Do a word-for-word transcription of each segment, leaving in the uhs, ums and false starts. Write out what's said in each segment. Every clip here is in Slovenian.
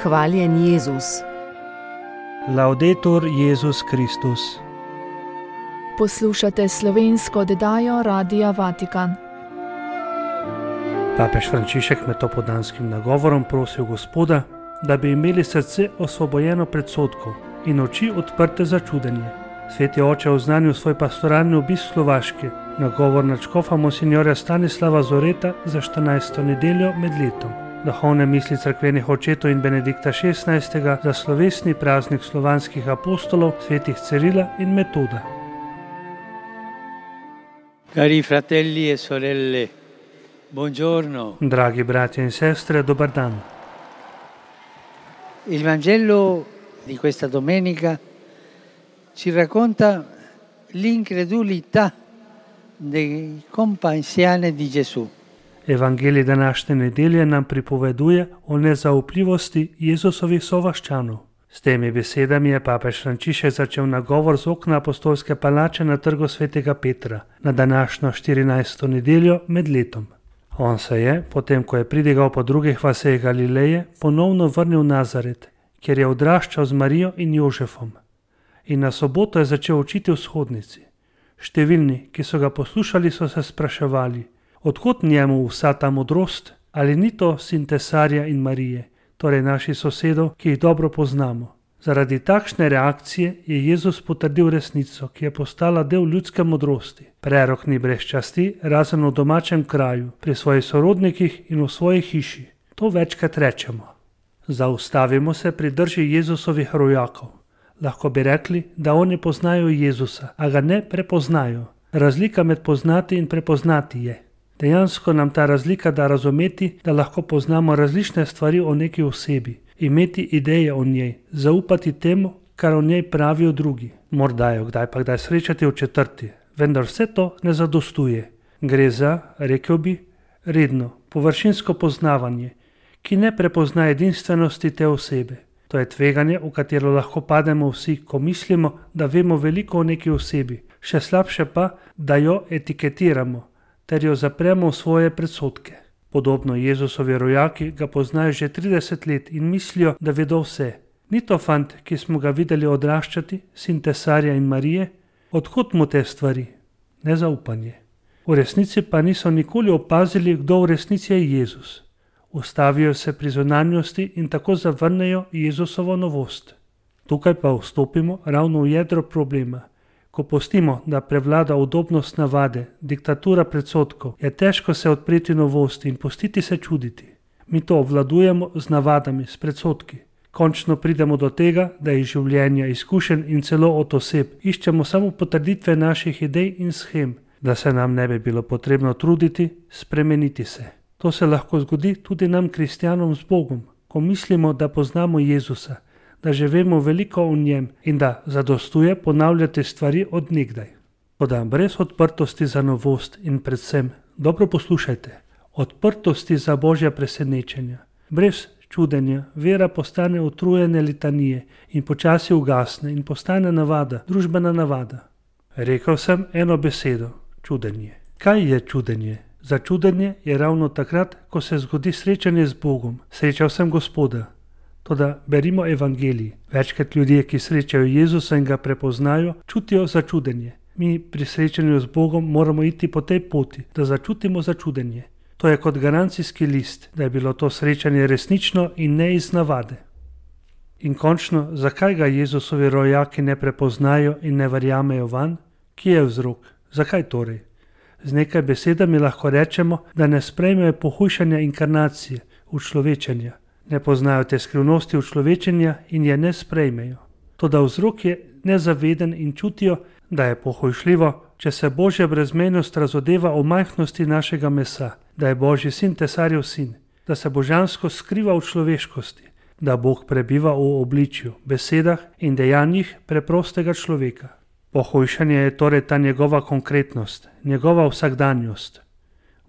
Hvaljen Jezus. Laudetur Jezus Kristus. Poslušate slovensko oddajo Radia Vatikan. Papež Frančišek med topodanskim nagovorom prosil Gospoda, da bi imeli srce osvobojeno predsodkov in oči odprte za čudenje. Sveti oče oznanil svoj pastoralni obisk Slovaške, nagovor nadškofa monsinjorja Stanislava Zoreta za štirinajsto nedeljo med letom. Duhovne misli cerkvenih očetov in Benedikta šestnajstega za slovesni praznik slovanskih apostolov, svetih Cirila in Metoda. Cari fratelli e sorelle, buongiorno. Dragi bratje in sestre, dober dan. Il Vangelo di questa domenica ci racconta l'incredulità dei compaesani di Gesù. Evangelij današnje nedelje nam pripoveduje o nezaupljivosti Jezusovih sovaščanov. S temi besedami je papež Frančišek začel nagovor z okna apostolske palače na trgu svetega Petra na današnjo štirinajsto nedeljo med letom. On se je, potem ko je pridigal po drugih vaseh Galileje, ponovno vrnil v Nazaret, kjer je odraščal z Marijo in Jožefom. In na soboto je začel učiti v shodnici. Številni, ki so ga poslušali, so se spraševali, odkot njemu vsa ta modrost, ali ni to sin Tesarja in Marije, torej naših sosedov, ki jih dobro poznamo. Zaradi takšne reakcije je Jezus potrdil resnico, ki je postala del ljudske modrosti. Prerok ni brez časti, razen v domačem kraju, pri svojih sorodnikih in v svoji hiši. To večkrat rečemo. Zaustavimo se pri drži Jezusovih rojakov. Lahko bi rekli, da oni poznajo Jezusa, a ga ne prepoznajo. Razlika med poznati in prepoznati je. Dejansko nam ta razlika da razumeti, da lahko poznamo različne stvari o neki osebi, imeti ideje o njej, zaupati temu, kar o njej pravijo drugi. Morda jo kdaj pa kdaj srečati v četrti, vendar vse to ne zadostuje. Gre za, rekel bi, redno, površinsko poznavanje, ki ne prepozna edinstvenosti te osebe. To je tveganje, v katero lahko pademo vsi, ko mislimo, da vemo veliko o neki osebi, še slabše pa, da jo etiketiramo, ter jo zapremo v svoje predsodke. Podobno Jezusovi rojaki ga poznajo že trideset let in mislijo, da vedo vse. Ni to fant, ki smo ga videli odraščati, sin Tesarja in Marije? Odkot mu te stvari? Nezaupanje. V resnici pa niso nikoli opazili, kdo v resnici je Jezus. Ustavijo se pri zunanjosti in tako zavrnejo Jezusovo novost. Tukaj pa vstopimo ravno v jedro problema. Ko pustimo, da prevlada udobnost navade, diktatura predsodkov, je težko se odpreti novosti in pustiti se čuditi. Mi to obvladujemo z navadami, s predsodki. Končno pridemo do tega, da iz življenja, izkušenj in celo od oseb iščemo samo potrditve naših idej in shem, da se nam ne bi bilo potrebno truditi, spremeniti se. To se lahko zgodi tudi nam, kristjanom z Bogom, ko mislimo, da poznamo Jezusa, da že vemo veliko o njem in da zadostuje ponavljati stvari od nekdaj. Toda brez odprtosti za novost in predvsem, dobro poslušajte, odprtosti za Božja presenečenja, brez čudenja, vera postane utrujene litanije in počasi ugasne in postane navada, družbena navada. Rekel sem eno besedo, čudenje. Kaj je čudenje? Za čudenje je ravno takrat, ko se zgodi srečanje z Bogom. Srečal sem Gospoda. Toda berimo Evangelij. Večkrat ljudje, ki srečajo Jezusa in ga prepoznajo, čutijo začudenje. Mi pri srečanju z Bogom moramo iti po tej poti, da začutimo začudenje. To je kot garancijski list, da je bilo to srečanje resnično in ne iz navade. In končno, zakaj ga Jezusovi rojaki ne prepoznajo in ne verjamejo vanj? Kje je vzrok? Zakaj torej? Z nekaj besedami lahko rečemo, da ne sprejmejo pohujšanja inkarnacije, učlovečenja. Ne poznajo te skrivnosti učlovečenja in je ne sprejmejo. Toda vzrok je nezaveden in čutijo, da je pohujšljivo, če se Božja brezmejnost razodeva o majhnosti našega mesa, da je Božji sin Tesarjev sin, da se božansko skriva v človeškosti, da Bog prebiva v obličju, besedah in dejanjih preprostega človeka. Pohujšanje je torej ta njegova konkretnost, njegova vsakdanjost.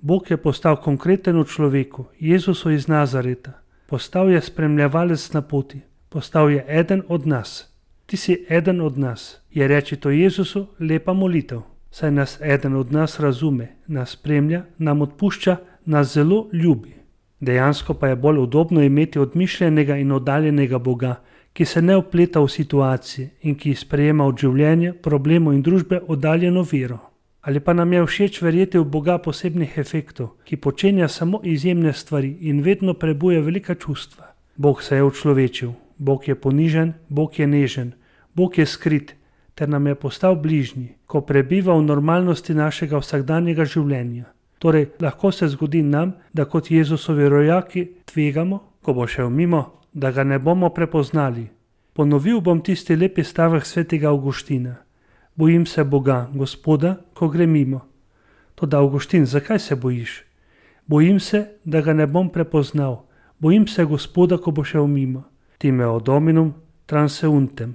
Bog je postal konkreten v človeku, Jezusu iz Nazareta. Postal je spremljevalec na poti, postal je eden od nas. Ti si eden od nas, je reči to Jezusu lepa molitev. Saj nas eden od nas razume, nas spremlja, nam odpušča, nas zelo ljubi. Dejansko pa je bolj udobno imeti odmišljenega in oddaljenega Boga, ki se ne vpleta v situacije in ki sprejema od življenja, problemov in družbe oddaljeno vero. Ali pa nam je všeč verjeti v Boga posebnih efektov, ki počenja samo izjemne stvari in vedno prebuja velika čustva. Bog se je učlovečil, Bog je ponižen, Bog je nežen, Bog je skrit, ter nam je postal bližnji, ko prebiva v normalnosti našega vsakdanjega življenja. Torej, lahko se zgodi nam, da kot Jezusovi rojaki tvegamo, ko bo šel mimo, da ga ne bomo prepoznali. Ponovil bom tisti lepi stavek svetega Avguština. Bojim se Boga, Gospoda, ko gre mimo. Toda, Avguštin, zakaj se bojiš? Bojim se, da ga ne bom prepoznal. Bojim se Gospoda, ko bo šel mimo. Timeo dominum transeuntem.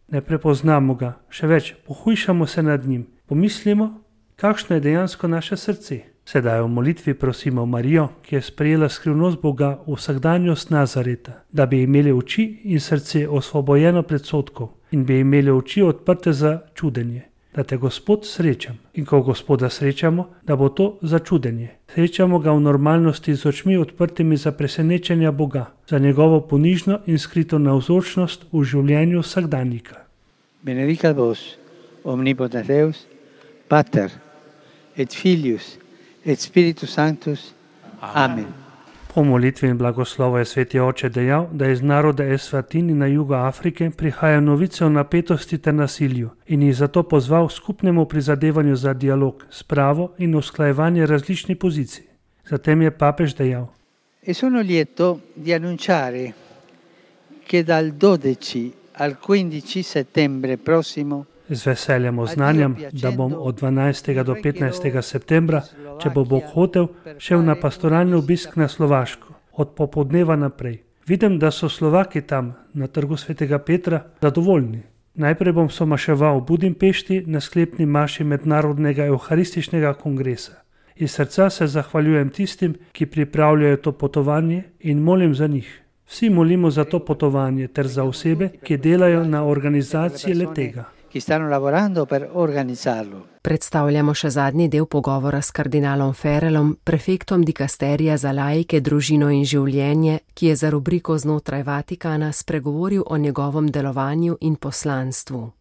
Ne prepoznamo ga, še več, pohujšamo se nad njim. Pomislimo, kakšno je dejansko naše srce. Sedaj v molitvi prosimo Marijo, ki je sprejela skrivnost Boga v vsakdanjost Nazareta, da bi imeli oči in srce osvobojeno predsodkov in bi imeli oči odprte za čudenje, da te Gospod srečam. In ko Gospoda srečamo, da bo to za čudenje. Srečamo ga v normalnosti z očmi odprtimi za presenečenja Boga, za njegovo ponižno in skrito navzočnost v življenju vsakdanjika. Benedicat vos, omnipotens Deus, Pater et Filius et Spiritus Sanctus. Amen. Po molitvi in blagoslovu je sveti oče dejal, da iz naroda Eswatini na jugu Afrike prihaja novice o napetosti ter nasilju in jih zato pozval skupnemu prizadevanju za dialog, spravo in usklajevanje različnih pozicij. Zatem je papež dejal: E sono lieto di annunciare che dal dodici al quindici settembre prossimo Z veseljem oznanjam, da bom od dvanajstega do petnajstega septembra, če bo Bog hotel, šel na pastoralni obisk na Slovaško, od popoldneva naprej. Vidim, da so Slovaki tam, na trgu svetega Petra, zadovoljni. Najprej bom somaševal v Budimpešti na sklepni maši Mednarodnega evharističnega kongresa. Iz srca se zahvaljujem tistim, ki pripravljajo to potovanje in molim za njih. Vsi molimo za to potovanje ter za osebe, ki delajo na organizaciji le-tega. Ki stanno lavorando per organizzarlo. Predstavljamo še zadnji del pogovora s kardinalom Ferrelom, prefektom dikasterija za laike, družino in življenje, ki je za rubriko Znotraj Vatikana spregovoril o njegovem delovanju in poslanstvu.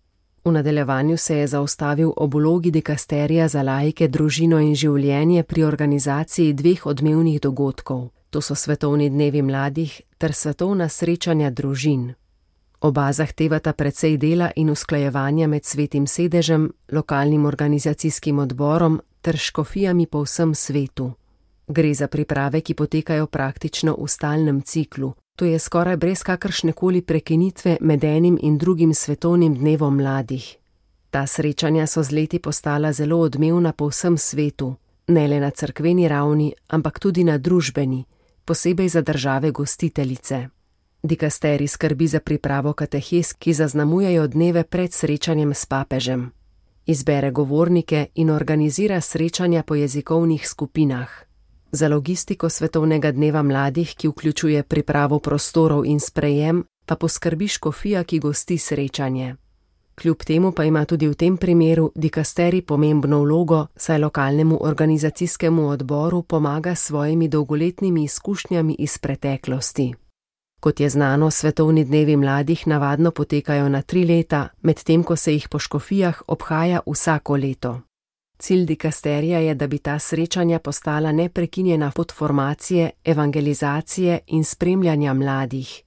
V nadaljevanju se je zaustavil ob vlogi dikasterija za laike, družino in življenje pri organizaciji dveh odmevnih dogodkov. To so svetovni dnevi mladih ter svetovna srečanja družin. Oba zahtevata precej dela in usklajevanja med Svetim sedežem, lokalnim organizacijskim odborom ter škofijami po vsem svetu. Gre za priprave, ki potekajo praktično v stalnem ciklu, to je skoraj brez kakršnekoli prekinitve med enim in drugim svetovnim dnevom mladih. Ta srečanja so z leti postala zelo odmevna po vsem svetu, ne le na cerkveni ravni, ampak tudi na družbeni, posebej za države gostiteljice. Dikasterij skrbi za pripravo katehes, ki zaznamujejo dneve pred srečanjem s papežem. Izbere govornike in organizira srečanja po jezikovnih skupinah. Za logistiko svetovnega dneva mladih, ki vključuje pripravo prostorov in sprejem, pa poskrbi škofija, ki gosti srečanje. Kljub temu pa ima tudi v tem primeru dikasterij pomembno vlogo, saj lokalnemu organizacijskemu odboru pomaga s svojimi dolgoletnimi izkušnjami iz preteklosti. Kot je znano, svetovni dnevi mladih navadno potekajo na tri leta, medtem ko se jih po škofijah obhaja vsako leto. Cilj dikasterija je, da bi ta srečanja postala neprekinjena pot formacije, evangelizacije in spremljanja mladih.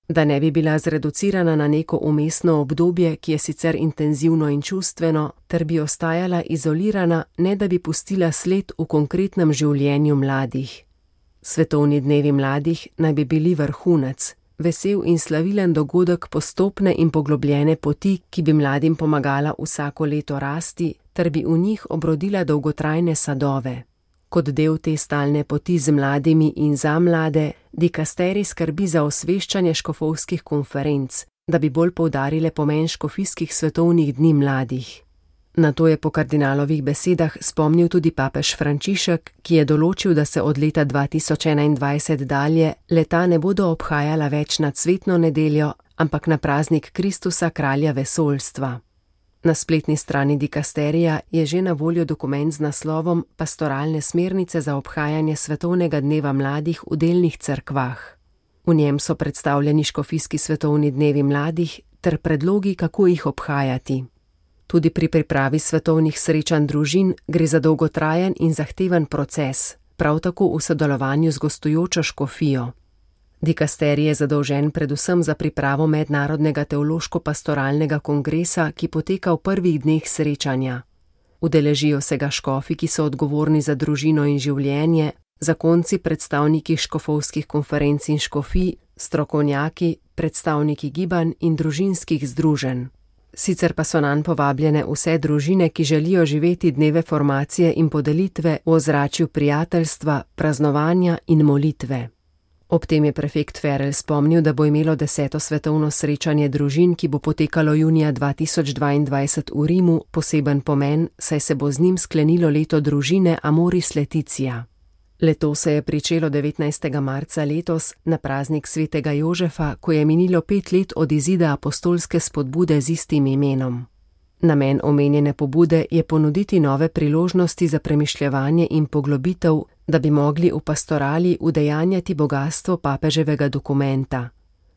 Da ne bi bila zreducirana na neko umestno obdobje, ki je sicer intenzivno in čustveno, ter bi ostajala izolirana, ne da bi pustila sled v konkretnem življenju mladih. Svetovni dnevi mladih naj bi bili vrhunec, vesel in slavilen dogodek postopne in poglobljene poti, ki bi mladim pomagala vsako leto rasti, ter bi v njih obrodila dolgotrajne sadove. Kot del te stalne poti z mladimi in za mlade, dikasterij skrbi za osveščanje škofovskih konferenc, da bi bolj poudarile pomen škofijskih svetovnih dni mladih. Na to je po kardinalovih besedah spomnil tudi papež Frančišek, ki je določil, da se od leta dva tisoč enaindvajset dalje leta ne bodo obhajala več na cvetno nedeljo, ampak na praznik Kristusa, kralja vesoljstva. Na spletni strani dikasterija je že na voljo dokument z naslovom Pastoralne smernice za obhajanje svetovnega dneva mladih v delnih cerkvah. V njem so predstavljeni škofijski svetovni dnevi mladih ter predlogi, kako jih obhajati. Tudi pri pripravi svetovnih srečanj družin gre za dolgotrajen in zahteven proces, prav tako v sodelovanju z gostujočo škofijo. Dikasterij je zadolžen predvsem za pripravo mednarodnega teološko-pastoralnega kongresa, ki poteka v prvih dneh srečanja. Udeležijo se ga škofi, ki so odgovorni za družino in življenje, zakonci, predstavniki škofovskih konferenc in škofij, strokovnjaki, predstavniki gibanj in družinskih združenj. Sicer pa so nanj povabljene vse družine, ki želijo živeti dneve formacije in podelitve v ozračju prijateljstva, praznovanja in molitve. Ob tem je prefekt Ferel spomnil, da bo imelo deseto svetovno srečanje družin, ki bo potekalo junija dva tisoč dvaindvajset v Rimu, poseben pomen, saj se bo z njim sklenilo leto družine Amoris Laetitia. Leto se je pričelo devetnajstega marca letos na praznik svetega Jožefa, ko je minilo pet let od izida apostolske spodbude z istim imenom. Namen omenjene pobude je ponuditi nove priložnosti za premišljevanje in poglobitev, da bi mogli v pastorali udejanjati bogastvo papeževega dokumenta,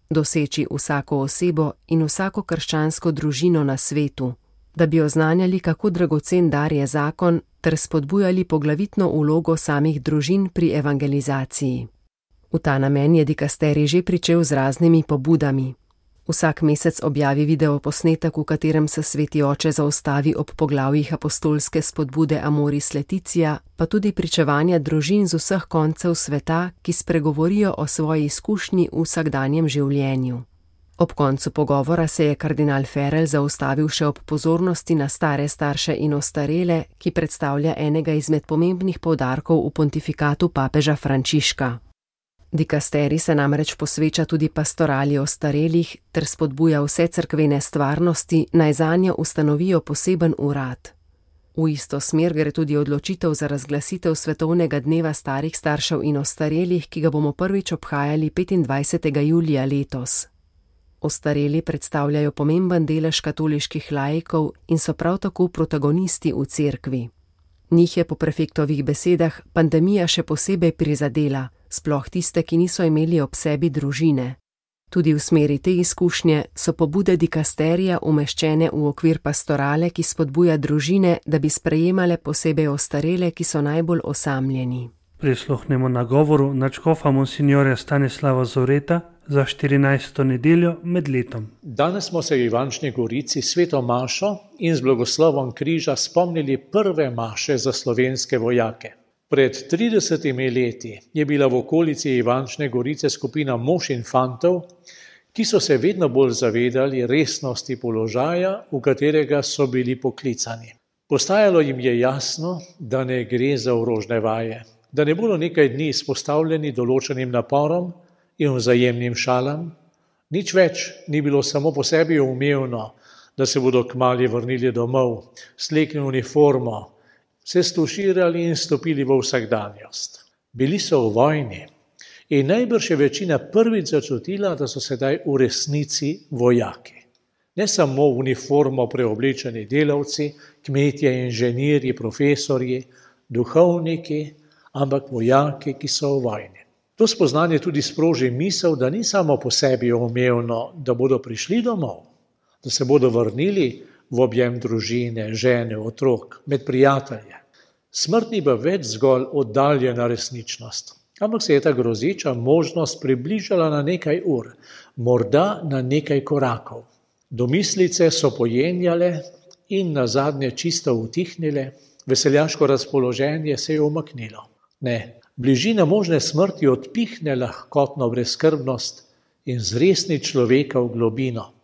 doseči vsako osebo in vsako krščansko družino na svetu, da bi oznanjali, kako dragocen dar je zakon, ter spodbujali poglavitno vlogo samih družin pri evangelizaciji. V ta namen je dikasterij že pričel z raznimi pobudami. Vsak mesec objavi videoposnetek, v katerem se sveti oče zaustavi ob poglavjih apostolske spodbude Amoris Laetitia, pa tudi pričevanja družin z vseh koncev sveta, ki spregovorijo o svoji izkušnji v vsakdanjem življenju. Ob koncu pogovora se je kardinal Ferel zaustavil še ob pozornosti na stare starše in ostarele, ki predstavlja enega izmed pomembnih poudarkov v pontifikatu papeža Frančiška. Dikasterij se namreč posveča tudi pastorali ostarelih ter spodbuja vse cerkvene stvarnosti, naj zanjo ustanovijo poseben urad. V isto smer gre tudi odločitev za razglasitev svetovnega dneva starih staršev in ostarelih, ki ga bomo prvič obhajali petindvajsetega julija letos. Ostareli predstavljajo pomemben delež katoliških laikov in so prav tako protagonisti v cerkvi. Njih je po prefektovih besedah pandemija še posebej prizadela, sploh tiste, ki niso imeli ob sebi družine. Tudi v smeri te izkušnje so pobude dikasterija umeščene v okvir pastorale, ki spodbuja družine, da bi sprejemale posebej ostarele, ki so najbolj osamljeni. Prisluhnemo nagovoru nadškofa monsinjorja Stanislava Zoreta za štirinajsto nedeljo med letom. Danes smo se v Ivančni Gorici sveto mašo in z blagoslovom križa spomnili prve maše za slovenske vojake. Pred tridesetimi leti je bila v okolici Ivančne Gorice skupina mož in fantov, ki so se vedno bolj zavedali resnosti položaja, v katerega so bili poklicani. Postajalo jim je jasno, da ne gre za orožne vaje, da ne bodo nekaj dni izpostavljeni določenim naporom in vzajemnim šalam. Nič več ni bilo samo po sebi umevno, da se bodo kmalu vrnili domov, slekli uniformo, se stuširali in stopili v vsakdanjost. Bili so v vojni in najbrž je večina prvič začutila, da so sedaj v resnici vojaki. Ne samo v uniformo preoblečeni delavci, kmetje, inženirji, profesorji, duhovniki, ampak vojaki, ki so v vojni. To spoznanje tudi sproži misel, da ni samo po sebi umevno, da bodo prišli domov, da se bodo vrnili v objem družine, žene, otrok, med prijatelje. Smrt ni pa več zgolj oddaljena resničnost, ampak se je ta grozeča možnost približala na nekaj ur, morda na nekaj korakov. Domislice so pojenjale in nazadnje čisto utihnile, veseljaško razpoloženje se je umaknilo. Ne, bližina možne smrti odpihne lahkotno brezskrbnost in zresni človeka v globino.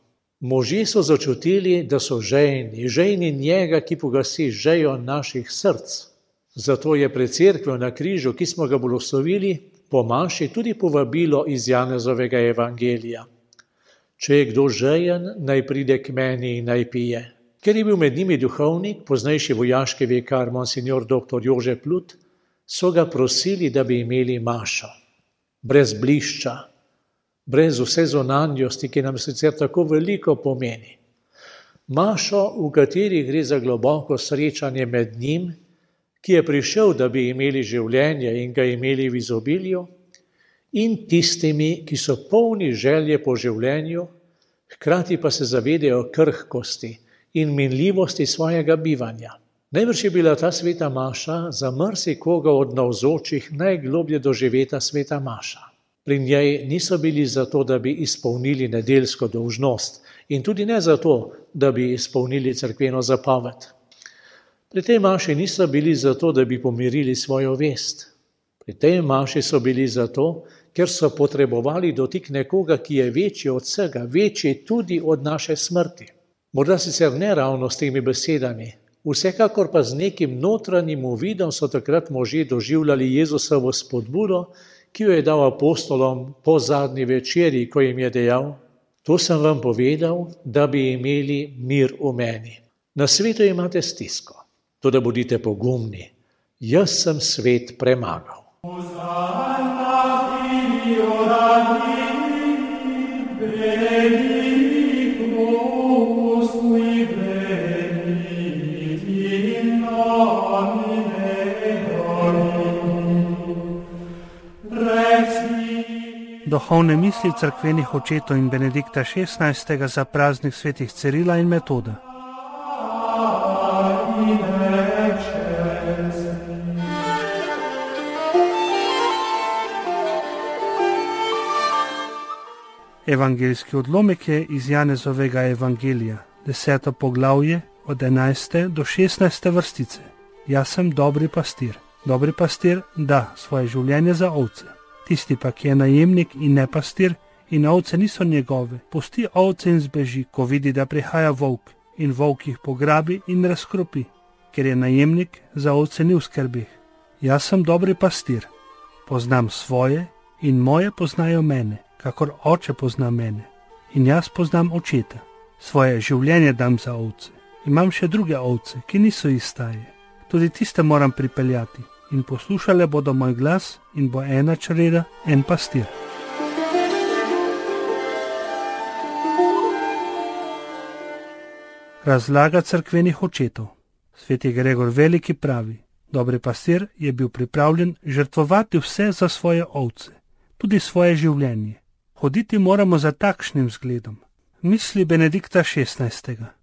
Možje so začutili, da so žejni, žejni njega, ki pogasi žejo naših src. Zato je pred cerkvijo na križu, ki smo ga blagoslovili, po maši tudi povabilo iz Janezovega evangelija. Če je kdo žejen, naj pride k meni in naj pije. Ker je bil med njimi duhovnik, poznejši vojaški vikar monsignor doktor Jože Plut, so ga prosili, da bi imeli mašo. Brez blišča, brez vse zunanjosti, ki nam sicer tako veliko pomeni. Mašo, v kateri gre za globoko srečanje med njim, ki je prišel, da bi imeli življenje in ga imeli v izobilju, in tistimi, ki so polni želje po življenju, hkrati pa se zavedajo krhkosti in minljivosti svojega bivanja. Najbrž je bila ta sveta maša za marsikoga od navzočih najgloblje doživeta sveta maša. Pri njej niso bili zato, da bi izpolnili nedeljsko dolžnost in tudi ne zato, da bi izpolnili cerkveno zapoved. Pri tej maši niso bili zato, da bi pomirili svojo vest. Pri tej maši so bili zato, ker so potrebovali dotik nekoga, ki je večji od vsega, večji tudi od naše smrti. Morda sicer ne ravno s temi besedami, vsekakor pa z nekim notranjim uvidom so takrat možje doživljali Jezusovo spodbudo, ki jo je dal apostolom po zadnji večeri, ko jim je dejal: to sem vam povedal, da bi imeli mir v meni. Na svetu imate stisko, toda bodite pogumni, jaz sem svet premagal. Duhovne misli cerkvenih očetov in Benedikta šestnajstega za praznik svetih Cirila in Metoda. Evangeljski odlomek je iz Janezovega evangelija, deseto poglavje od enajste do šestnajste vrstice. Jaz sem dobri pastir. Dobri pastir da svoje življenje za ovce. Tisti pa, ki je najemnik in ne pastir in ovce niso njegove, pusti ovce in zbeži, ko vidi, da prihaja volk, in volk jih pograbi in razkropi, ker je najemnik za ovce ni v skrbeh. Jaz sem dobri pastir, poznam svoje in moje poznajo mene, kakor oče pozna mene, in jaz poznam očeta. Svoje življenje dam za ovce. Imam še druge ovce, ki niso iz staje. Tudi tiste moram pripeljati in poslušale bodo moj glas in bo ena čreda, en pastir. Razlaga cerkvenih očetov. Sveti Gregor Veliki pravi: dobri pastir je bil pripravljen žrtvovati vse za svoje ovce, tudi svoje življenje. Hoditi moramo za takšnim zgledom. Misli Benedikta šestnajstega.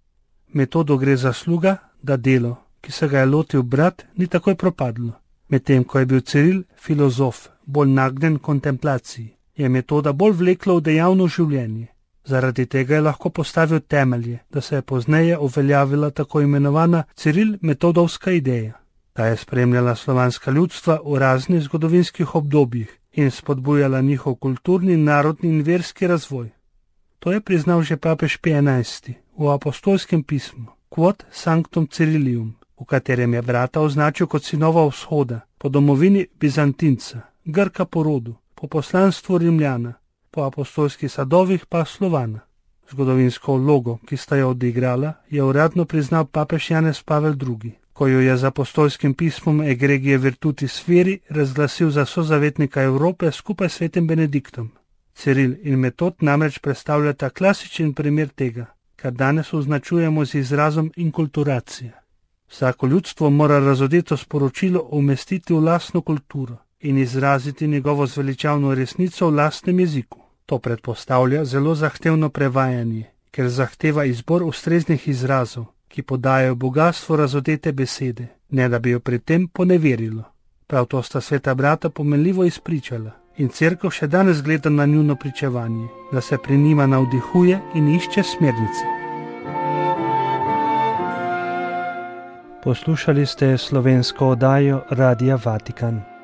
Metodo gre zasluga, da delo, ki se ga je lotil brat, ni takoj propadlo. Medtem ko je bil Ciril filozof, bolj nagnjen kontemplaciji, je Metoda bolj vlekla v dejavno življenje. Zaradi tega je lahko postavil temelje, da se je pozneje uveljavila tako imenovana Ciril-metodovska ideja. Ta je spremljala slovanska ljudstva v raznih zgodovinskih obdobjih in spodbujala njihov kulturni, narodni in verski razvoj. To je priznal že papež Pij enajsti v apostolskem pismu Quod Sanctum Cirilium, v katerem je brata označil kot sinova vzhoda, po domovini Bizantinca, Grka po rodu, po poslanstvu Rimljana, po apostolskih sadovih pa Slovana. Zgodovinsko vlogo, ki sta jo odigrala, je uradno priznal papež Janez Pavel drugi, ko jo je z apostolskim pismom Egregie Virtutis Feri razglasil za sozavetnika Evrope skupaj s svetim Benediktom. Ciril in Metod namreč predstavljata klasičen primer tega, kar danes označujemo z izrazom inkulturacija. Vsako ljudstvo mora razodeto sporočilo umestiti v lastno kulturo in izraziti njegovo zveličavno resnico v lastnem jeziku. To predpostavlja zelo zahtevno prevajanje, ker zahteva izbor ustreznih izrazov, ki podajajo bogastvo razodete besede, ne da bi jo pri tem poneverilo. Prav to sta sveta brata pomenljivo izpričala in cerkev še danes gleda na njuno pričevanje, da se pri njima navdihuje in išče smernice. Poslušali ste slovensko oddajo Radia Vatikan.